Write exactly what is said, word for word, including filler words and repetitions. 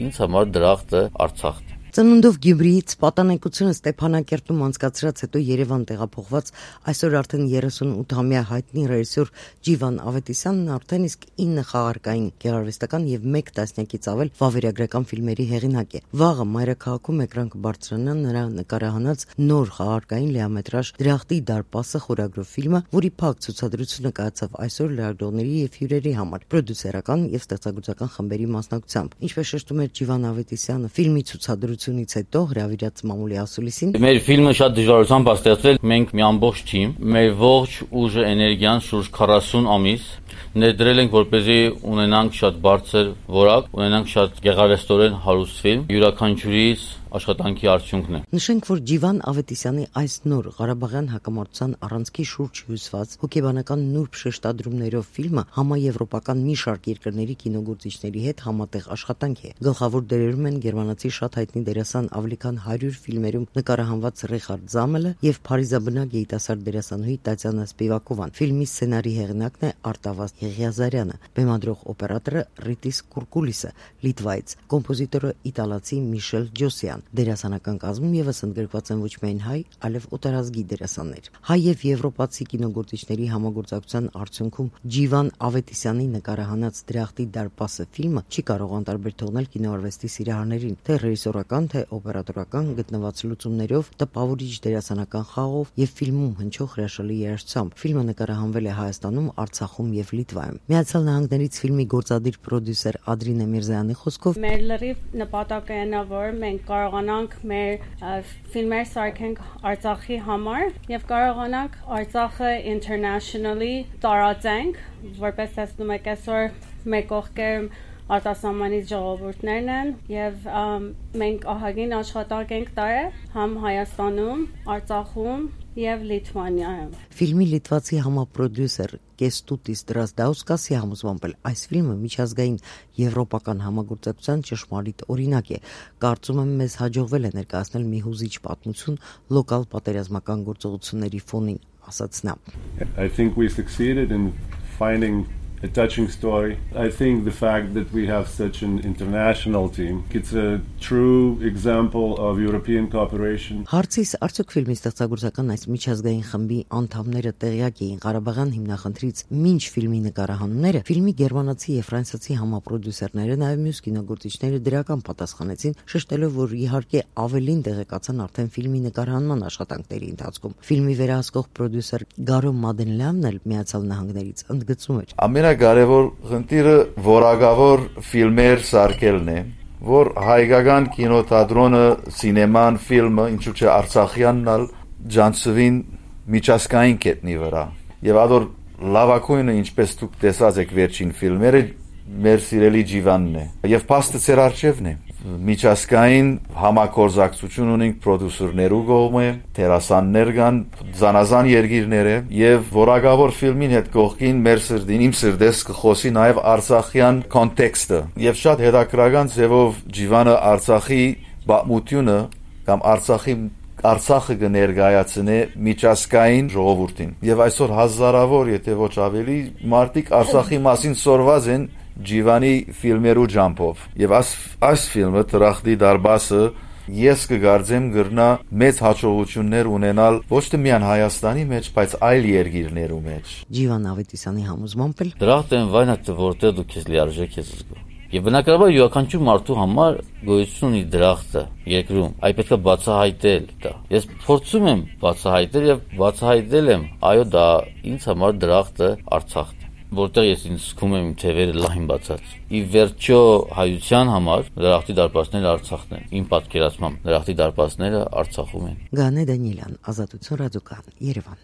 ինձ համար դրախտը Արցախն է։ Ծնունդով Գյումրիից պատանեկությունը Ստեփանակերտում անցկացրած հետո Երևան տեղափոխված այսօր արդեն երեսունութամյա հայտնի ռեժիսոր Ջիվան Ավետիսյանն արդեն իսկ ինը խաղարկային գեղարվեստական եւ մեկ տասնյակից ավել վավերագրական ֆիլմերի հեղինակ է։ Վաղը Մայրաքաղաքում էկրան կբարձրանա նրա նկարահանած նոր խաղարկային լիամետրաժ Դրախտի դարպասը խորագրով ֆիլմը, որի փակ ցուցադրությունը կայացավ այսօր լրագրողների եւ հյուրերի համար պրոդյուսերական եւ ստեղծագործական խմբերի մասնակցությամբ։ Ինչպես շեշտում է Ջիվան Ավետիսյանը, ֆիլմի ցուցադրությունից հետո հրավիրած մամուլի ասուլիսին Մեր ֆիլմը շատ դժվարությամբ է ստեղծվել, մենք մի ամբողջ թիմ, մեր ողջ ուժը, էներգիան շուրջ քառասուն ամիս ներդրել ենք, որպեսզի ունենանք շատ բարձր որակ, ունենանք շատ գեղարվեստորեն հարուստ ֆիլմ, յուրաքանչյուրից աշխատանքի արդյունքն է։ Նշենք, որ Ջիվան Ավետիսյանի այս նոր Ղարաբաղյան հակամարտության առանցքի շուրջ հյուսված հոգեբանական նուրբ շեշտադրումներով ֆիլմը համաեվրոպական մի շարք երկրների կինոգործիչների հետ համատեղ աշխատանք է։ Գլխավոր դերերում են գերմանացի շատ հայտնի դերասան ավելի քան հարյուր ֆիլմերում նկարահանված Ռիխարդ Զամելը եւ փարիզաբնակ երիտասարդ դերասանուհի Տատյանա Սպիվակովան։ Ֆիլմի սցենարի հեղինակն է Արտավազդ Եղիազարյանը, բեմադրող օպերատորը Ռիտիս Կուրկուլիսը, Լիտվայից, կոմպոզիտորը իտալացի Միշել Ջոսյան։ Դերասանական կազմում եւս ընդգրկված են ոչ միայն հայ, այլև օտարազգի դերասաններ։ Հայ եւ եվրոպացի կինոգործիչների համագործակցության արդյունքում Ջիվան Ավետիսյանի նկարահանած Դրախտի դարպասը ֆիլմը չի կարող անտարբեր թողնել կինոարվեստի սիրահարներին, թե ռեժիսորական, թե օպերատորական գտնված լուծումներով, տպավորիչ դերասանական խաղով եւ ֆիլմում հնչող հրաշալի երաժշտությամբ։ Ֆիլմը նկարահանվել է Հայաստանում, Արցախում եւ Լիտվայում։ Միացյալ Նահանգներից ֆիլմի գործադիր պրոդյուսեր Ադրինե Միրզայանի խոսքով մեր լրիվ նպատակը այն է, որ մենք կարողանանք մեր ֆիլմեր սարքենք Արցախի համար եւ կարողանանք Արցախը internationally տարածենք, որպես տեսնում եք այսօր մեր կողքեր արտասահմանից ժողովուրդներն են եւ մենք ահագին աշխատանք ենք տարել համ Հայաստանում, Արցախում եւ Լիտվանիայում։ Ֆիլմի լիտվացի համապրոդյուսեր Կեստուտիս Դրազդաուսկասի համոզմամբ այս ֆիլմը միջազգային եվրոպական համագործակցության ճշմարիտ օրինակ է։ Կարծում եմ, մեզ հաջողվել է ներկայացնել մի հուզիչ պատմություն լոկալ պատերազմական գործողությունների ֆոնին, ասաց նա։ I think we succeeded in finding a touching story. I think the fact that we have such an international team, it's a true example of European cooperation. Հարցիս արդյոք ֆիլմի ստեղծագործական այս միջազգային խմբի անդամները տեղյակ էին Ղարաբաղյան հիմնախնդրից մինչ ֆիլմի նկարահանումները, ֆիլմի գերմանացի եւ ֆրանսիացի համապրոդյուսերները նաեւ մյուս կինոգործիչները դրական պատասխանեցին, շեշտելով, որ իհարկե ավելին տեղեկացան արդեն ֆիլմի նկարահանման աշխատանքների ընթացքում։ Ֆիլմի վերահսկող պրոդյուսեր Գարո Մադենլյանն էլ Միացյալ Նահանգներից ընդգծում էր. Կարևոր խնդիրը որակավոր ֆիլմեր սարքելն է, որ հայկական կինոթատրոնը, սինեման, ֆիլմը, ինչու՞ չէ Արցախյանն ալ ջանցվին միջազգային կետնի վրա։ Եվ ադոր լավակույնը, ինչպես դուք տեսած եք վերջին ֆիլմերը, մեր սիրելի Ջիվանն է։ Եվ փաստը ծեր արջևն է։ Միջազգային համագործակցություն ունենք պրոդյուսերներու կողմէ, դերասաններ կան, զանազան երկիրներ է եւ որակավոր ֆիլմին հետ կողքին մեր սրտին, իմ սրտես կխոսի նաեւ արցախյան կոնտեքստը եւ շատ հետաքրական ձևով Ջիվանը Արցախի բամությունը կամ Արցախի Արցախը կներկայացնե միջազգային ժողովրդին եւ այսօր հազարավոր, եթե ոչ ավելի, մարդիկ Արցախի մասին սորված են Ջիվանի ֆիլմերու ջամփով եւ այս այս ֆիլմը Դրախտի դարպասը ես կգարձեմ գրնա մեծ հաջողություններ ունենալ ոչ թե միայն Հայաստանի մեջ, բայց այլ երկիրներու մեջ։ Ջիվան Ավետիսյանի համոզմամբ էլ Դրախտն վայնա թե որտեղ դու քեզ լիարժեք ես զգում։ Եվ բնականաբար յուրաքանչյուր մարդու համար գոյություն ունի դրախտը երկրում, այ պետք է բացահայտել դա։ Ես փորձում եմ բացահայտել եւ բացահայտել եմ, այո, դա ինձ համար դրախտը Արցախն է, որտեղ ես ինձ զգում եմ թևերը լայն բացած։ Ի վերջո հայության համար դրախտի դարպասները Արցախն են։ Իմ պատկերացմամբ դրախտի դարպասները Արցախում են։ Գանե Դանիելյան, Ազատություն ռադիոկան, Երևան։